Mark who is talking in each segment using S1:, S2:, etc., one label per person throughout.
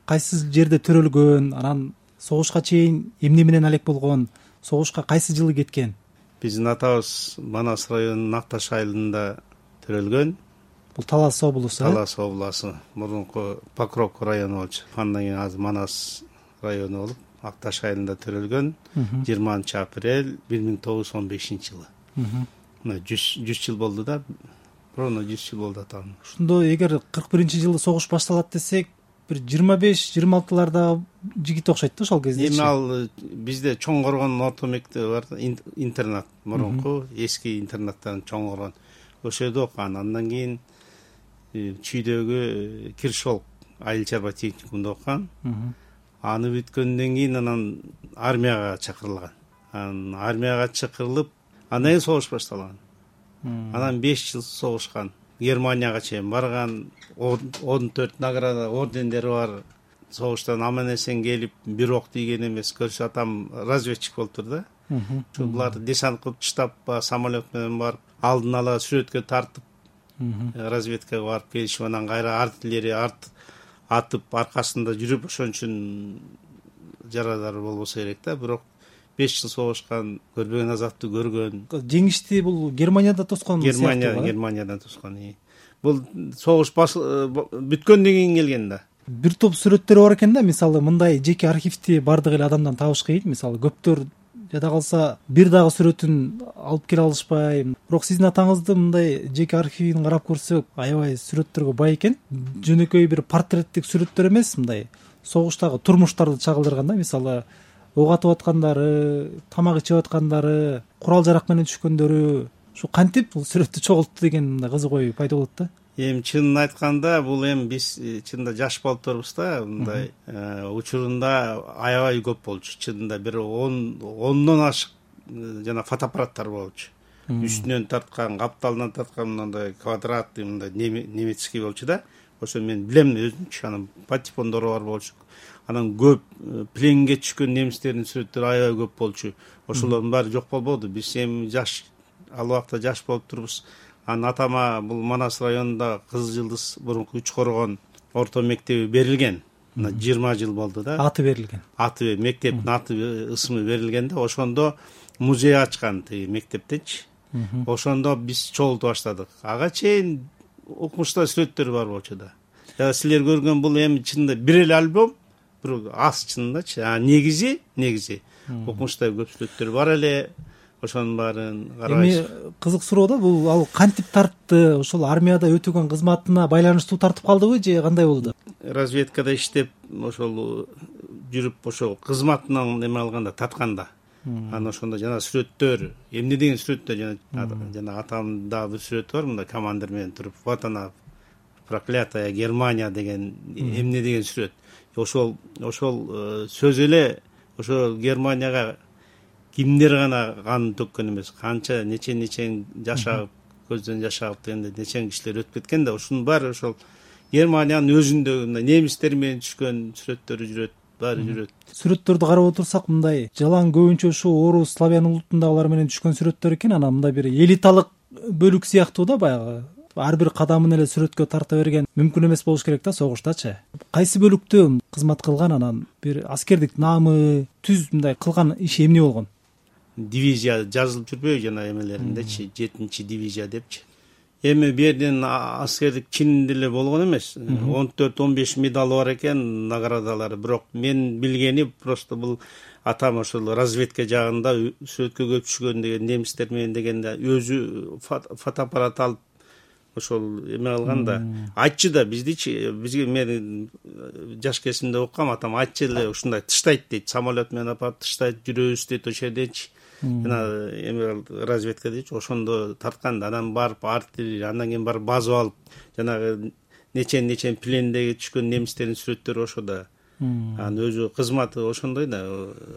S1: кайсы жерде төрөлгөн, анан согушка чейин эмне менен алек болгон, согушка кайсы жылы кеткен?
S2: Биздин атабыз Манас районунун Акташ айылында төрөлгөн.
S1: Бул Талас облусу.
S2: Талас облусу, мурунку Покровка району болчу. Андан кийин азыр Манас району болуп, Акташ айылында төрөлгөн 20 апрель 1915-жылы. Мына 100 жыл болду да. Ровно 100 жыл болду атам.
S1: Ошондо эгер 41-жылы согуш башталат десек, бир 25-26-ларда жигит окшойт да ошол кезде.
S2: Эми ал бизде чоң коргон орто мектеби бар, интернат, мурунку эски интернаттан чоң коргон. Ошол жерде окуган. Андан кийин Чүйдөгү Киршол айыл чарба техникумунда окуган. Аны бүткөндөн кийин анан армияга чакырылган. Анан армияга чакырылып, андан кийин согуш башталган. Анан 5 жыл согушкан. Германияга чейин барган, 14 награда, ордендери бар. Согуштан аман-эсен келип, бир ок тийген эмес. Көрсө атам разведчик болуптур да. Булар десант кылып штаб самолет менен барып, алдын ала сүрөткө тартып, разведкага барып келишип, анан кайра артиллерия атып аркасында жүрүп, ошон үчүн жарадар болбосо керек да. Бирок 5 жыл согушкан, көрбөгөн азапты көргөн.
S1: Жеңишти бул Германияда тоскон сыяктуу.
S2: Германиядан тоскон. Бул согуш бүткөндөн кийин келген да.
S1: Бир топ сүрөттөр бар экен да, мисалы мындай жеке архивти бардык эле адамдан табыш кыйын. Мисалы көптөр жада калса бир дагы сүрөтүн алып келе алышпай. Бирок сиздин атаңыздын мындай жеке архивин карап көрсөк, аябай сүрөттөргө бай экен. Жөнөкөй бир портреттик сүрөттөр эмес, мындай согуштагы турмуштарды чагылдырган да, мисалы ок атып аткандары, тамак ичип аткандары, курал жарак менен түшкөндөрү. Ушу кантип бул сүрөттү чогултту деген мындай кызык ой пайда болот да.
S2: Эми чынын айтканда, бул эми биз чынында жаш болуп турбуз да, мындай учурунда аябай көп болчу. Чынында бир 10дон ашык жана фотоаппараттар болчу. Үстүнөн тарткан, капталынан тарткан мындай квадратный, мындай немецкий болчу да. Ошо мен билем өзүмчү, анан патефондору бар болчу. Анан көп пленге түшкөн немистердин сүрөттөрү аябай көп болчу. Ошолордун баары жок болбоду. Биз эми жаш, ал убакта жаш болуп турбуз. Анан атама бул Манас районунда Кызыл Жылдыз мурунку 3 коргон орто мектеби берилген. Мына 20 жыл болду да.
S1: Аты берилген.
S2: Аты, мектептин аты, ысмы берилген да. Ошондо музей ачкан тиги мектептечи. Ошондо биз чогулту баштадык. Ага чейин окумушта сүрөттөр бар болчу да. Силер көргөн бул эми чынында бир эле альбом, бирок аз чындачы. Негизи окумушта көп сүрөттөр бар эле. Ошонун баарын карабайсыз.
S1: Эми кызык суроо да, бул ал кантип тартты? Ошол армияда өтөгөн кызматына байланыштуу тартып калдыбы же кандай болду?
S2: Разведкада иштеп, ошол жүрүп, ошол кызматынан эме алганда, тартканда. Анан ошондо жана сүрөттөр, эмне деген сүрөттөр, жана атамда бир сүрөт бар, мында командир менен туруп, вот она проклятая Германия деген эмне деген сүрөт. Ошол сөз эле ошол Германияга кимдер гана кан төккөн эмес, канча нечен жашап, көздөн жаш агып дегенде нечен кишилер өтүп кеткен да, ушунун баары ошол Германиянын өзүндө немистер менен түшкөн сүрөттөрү жүрөт, баары жүрөт.
S1: Сүрөттөрдү карап отурсак, мындай жалаң көбүнчө ушу орус, славян улутундагылар менен түшкөн сүрөттөр экен. Анан мындай бир элиталык бөлүк сыяктуу да, баягы ар бир кадамын эле сүрөткө тарта берген мүмкүн эмес болуш керек да согуштачы. Кайсы бөлүктө кызмат кылган, анан бир аскердик наамы, түз мындай кылган иши эмне болгон?
S2: Дивизия жазылып жүрбөйбү жана эмелериндечи, 7-дивизия депчи. Эми бу жерден аскердик чин деле болгон эмес. 14-15 медалы бар экен, наградалары. Бирок мен билгени просто бул атам ошол разведка жагында сүрөткө көп түшкөн деген немистер менен дегенде өзү фотоаппарат алып ошол эме алган да. Айтчы да бизге мен жаш кезимде окугам, атам айтчы эле ушундай тыштайт дейт, самолет менен апарып тыштайт, жүрөбүз дейт ошол жердечи. Жана эме разведка дейчи, ошондо тарткан да. Анан барып артиллерия, андан кийин барып базып алып, жанагы нечен плендеги түшкөн немистердин сүрөттөрү ошодо. Анан өзү кызматы ошондой да,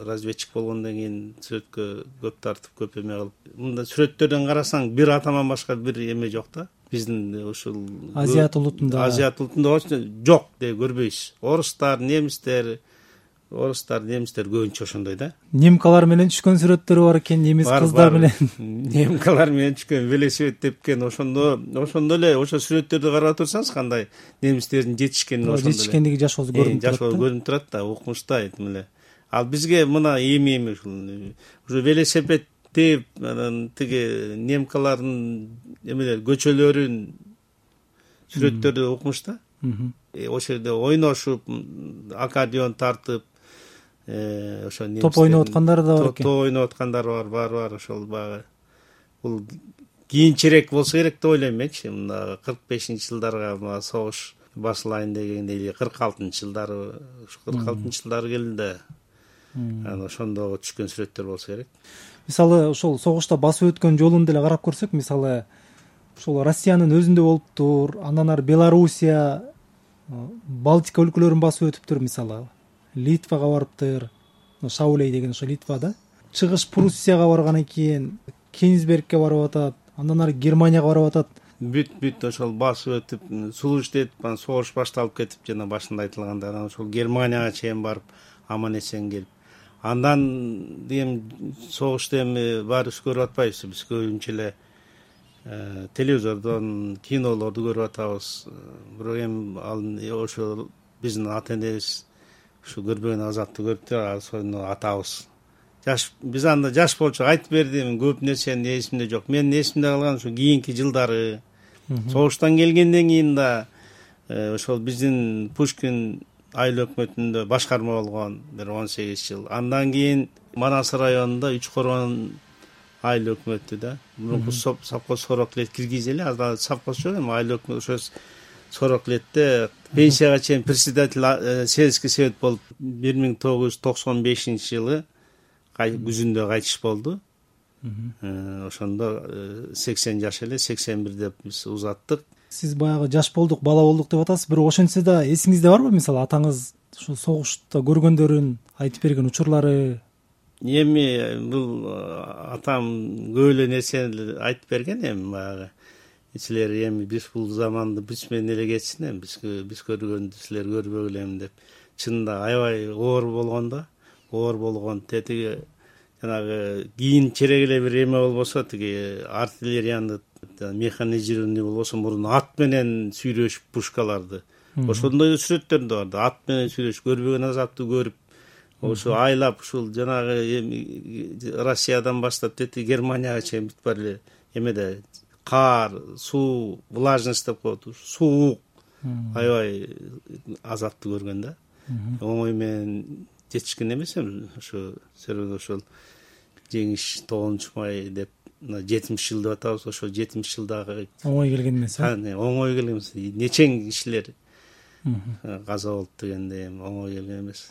S2: разведчик болгондон кийин сүрөткө көп тартып, көп эме кылып. Мында сүрөттөрдөн карасаң бир атаман башка бир эме жок да. Биздин ушул
S1: Азиат улутунда
S2: жок деп көрбөйсүз. Орустар, немистер, орустар, немистер көбүнчө ошондой да.
S1: Немкалар менен түшкөн сүрөттөрү бар экен, немис кыздар менен.
S2: Немкалар менен түшкөн, велосипед тепкен, ошондо эле ошо сүрөттөрдү карап турсаңыз кандай немистердин жетишкенин ошондо эле.
S1: Жетишкендиги жашоосу көрүнүп турат.
S2: Жашоо көрүнүп турат да, укмуштай эле. Ал бизге мына эми уже велосипед теп, анан тиги немкалардын эмелер көчөлөрүн сүрөттөрдү укмуш да. Ошол жерде ойношуп, аккордеон тартып, ошо
S1: топ ойноп аткандар да бар экен.
S2: Топ ойноп аткандар бар. Ошол баягы бул кийинчерээк болсо керек деп ойлойм менчи. Мына 45-жылдарга согуш башылайын дегенде, эле 46-жылдары, ушу 46-жылдары келди. Анан ошондо түшкөн сүрөттөр болсо керек.
S1: Мисалы ошол согушта басып өткөн жолун деле карап көрсөк, мисалы ошол Россиянын өзүндө болуптур, андан ары Белоруссия, Балтика өлкөлөрүн басып өтүптүр, мисалы Литвага барыптыр, Шаулей деген ошо Литвада, Чыгыш Пруссияга барган экен, Кенигсбергке барып атат, андан ары Германияга барып атат.
S2: Бүт ошол басып өтүп, сулуштетип, анан согуш башталып кетип, жана башында айтылгандай, анан ошол Германияга чейин барып, аман эсен келип, андан эми согушту эми баарыбыз көрүп атпайбызбы, биз көбүнчө эле телевизордон, кинолорду көрүп атабыз. Бирок эми ал ошо биздин ата энебиз ушу көрбөгөн азапты көрүптүр, ошону атабыз. Биз анда жаш болчу айтып бердим, көп нерсени эсимде жок. Менин эсимде калган ушу кийинки жылдары, согуштан келгенден кийин да ошол биздин Пушкин айыл өкмөтүндө башкарма болгон бир 18 жыл. Андан кийин Манас районунда Үч Корон айыл өкмөтү да. Мурунку совхоз Сороклет киргизели, азыр совхоз жок эми, айыл өкмөтү. Ошо Сороклетте пенсияга чейин председатель сельский совет болуп 1995-жылы күзүндө кайтыш болду. Ошондо 80 жаш эле, 81 деп биз узаттык.
S1: Сиз баягы жаш болдук, бала болдук деп атасыз. Бирок ошентсе да эсиңизде барбы, мисалы атаңыз ушу согушта көргөндөрүн айтып берген учурлары?
S2: Эми бул атам көп эле нерсени айтып берген, эми баягы силер эми биз бул заманды биз менен эле кетсин, эми биз көргөндү силер көрбөгүлө деп. Чынында аябай оор болгон да, оор болгон. Тетиги жанагы кийинчерээк эле бир эме болбосо, тиги артиллерияны механизированный болбосо, мурун ат менен сүйрөшүп пушкаларды, ошондой сүрөттөр да бар да. Ат менен сүйрөшүп, көрбөгөн азапты көрүп, ошо айлап ушул жанагы Россиядан баштап тети Германияга чейин бүт бар эле эмеде кар, суу, влажность деп коет, суук, аябай азапты көргөн да. Оңой менен жетишкен эмес эми ошо себеби ошол жеңиш 9 май деп 70 жыл деп атабыз. Ошо 70 жылдагы
S1: оңой келген эмес.
S2: Оңой келген эмес. Нечең кишилер каза болуп дегенде эми оңой келген эмес.